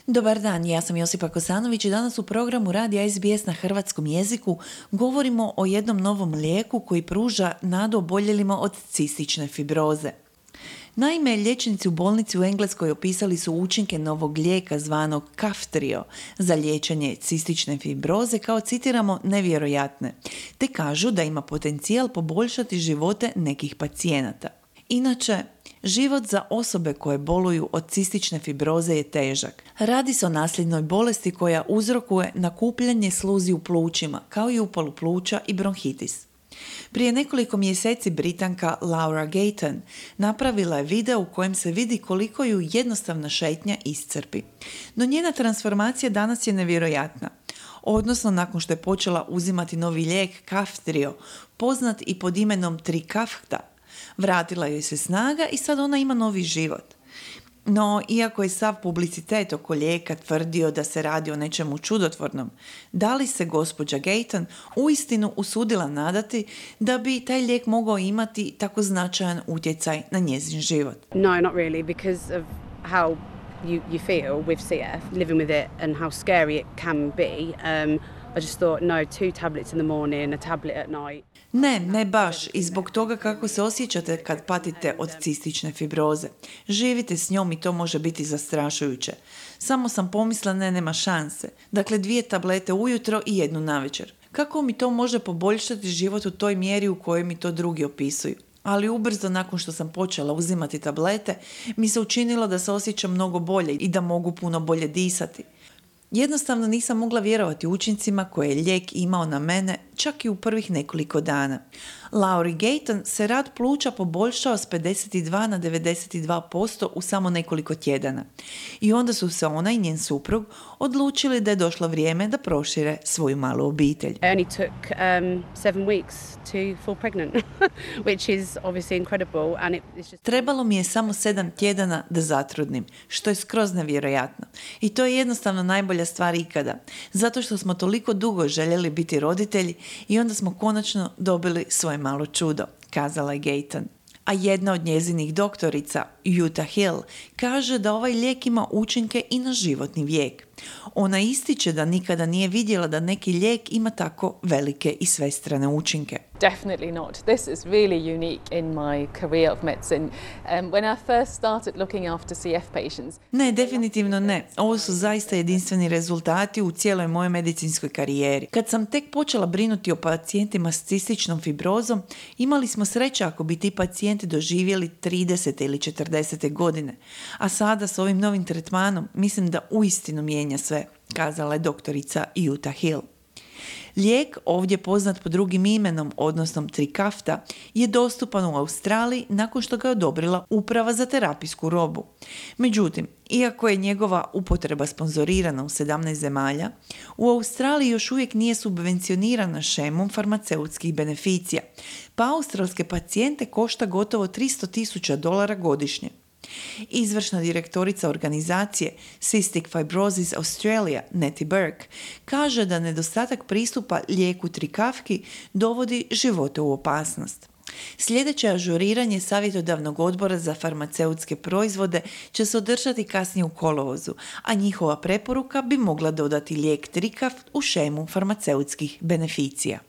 Dobar dan, ja sam Josipa Kosanović i danas u programu Radija SBS na hrvatskom jeziku govorimo o jednom novom lijeku koji pruža nadu oboljelima od cistične fibroze. Naime, liječnici u bolnici u Engleskoj opisali su učinke novog lijeka zvanog Kaftrio za liječenje cistične fibroze kao, citiramo, nevjerojatne, te kažu da ima potencijal poboljšati živote nekih pacijenata. Inače, život za osobe koje boluju od cistične fibroze je težak. Radi se o nasljednoj bolesti koja uzrokuje nakupljanje sluzi u plućima, kao i upalu pluća i bronhitis. Prije nekoliko mjeseci Britanka Laura Gayton napravila je video u kojem se vidi koliko ju jednostavna šetnja iscrpi. No njena transformacija danas je nevjerojatna. Odnosno, nakon što je počela uzimati novi lijek Kaftrio, poznat i pod imenom Trikafta, vratila joj se snaga i sad ona ima novi život. No, iako je sav publicitet oko lijeka tvrdio da se radi o nečemu čudotvornom, da li se gospođa Gayton uistinu usudila nadati da bi taj lijek mogao imati tako značajan utjecaj na njezin život? No, not really, because of how you feel with CF, living with it and how scary it can be. I just thought, no, 2 tablets in the morning, a tablet at night. Ne baš, i zbog toga kako se osjećate kad patite od cistične fibroze. Živite s njom i to može biti zastrašujuće. Samo sam pomislila, nema šanse. Dakle, 2 tablete ujutro i 1 navečer. Kako mi to može poboljšati život u toj mjeri u kojoj mi to drugi opisuju? Ali ubrzo nakon što sam počela uzimati tablete, mi se učinilo da se osjećam mnogo bolje i da mogu puno bolje disati. Jednostavno nisam mogla vjerovati učincima koje je lijek imao na mene čak i u prvih nekoliko dana. Lauri Gayton se rad pluća poboljšao s 52 na 92% u samo nekoliko tjedana. I onda su se ona i njen suprug odlučili da je došlo vrijeme da prošire svoju malu obitelj. I only took 7 weeks to fall pregnant, which is obviously incredible. And it's just... Trebalo mi je samo 7 tjedana da zatrudnim, što je skroz nevjerojatno. I to je jednostavno najbolja stvar ikada, zato što smo toliko dugo željeli biti roditelji i onda smo konačno dobili svoje malo čudo, kazala je Gayton. A jedna od njezinih doktorica, Utah Hill, kaže da ovaj lijek ima učinke i na životni vijek. Ona ističe da nikada nije vidjela da neki lijek ima tako velike i svestrane učinke. Definitely not. This is really unique in my career of medicine. When I first started looking after CF patients... Ne, definitivno ne. Ovo su zaista jedinstveni rezultati u cijeloj mojoj medicinskoj karijeri. Kad sam tek počela brinuti o pacijentima s cističnom fibrozom, imali smo sreće ako bi ti pacijenti doživjeli 30. ili 40. godine. A sada s ovim novim tretmanom mislim da uistinu mijenja sve, kazala je doktorica Utah Hill. Lijek, ovdje poznat pod drugim imenom, odnosno Trikafta, je dostupan u Australiji nakon što ga je odobrila Uprava za terapijsku robu. Međutim, iako je njegova upotreba sponzorirana u 17 zemalja, u Australiji još uvijek nije subvencionirana šemom farmaceutskih beneficija, pa australske pacijente košta gotovo $300,000 godišnje. Izvršna direktorica organizacije Cystic Fibrosis Australia, Nettie Burke, kaže da nedostatak pristupa lijeku Trikafki dovodi živote u opasnost. Sljedeće ažuriranje savjetodavnog odbora za farmaceutske proizvode će se održati kasnije u kolovozu, a njihova preporuka bi mogla dodati lijek Trikaft u šemu farmaceutskih beneficija.